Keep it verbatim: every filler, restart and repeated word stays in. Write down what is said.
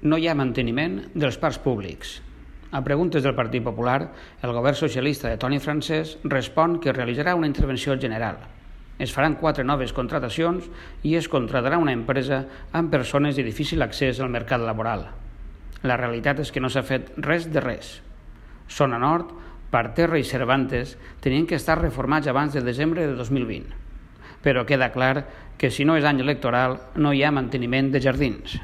no hi ha manteniment dels parcs públics. A preguntes del Partit Popular, el govern socialista de Toni Francès respon que realitzarà una intervenció general. Es faran quatre noves contratacions i es contratarà una empresa amb persones de difícil accés al mercat laboral. La realitat és que no s'ha fet res de res. Zona Nord, Parterre i Cervantes tenien que estar reformats abans de desembre de dos mil vint. Però queda clar que si no és any electoral no hi ha manteniment de jardins.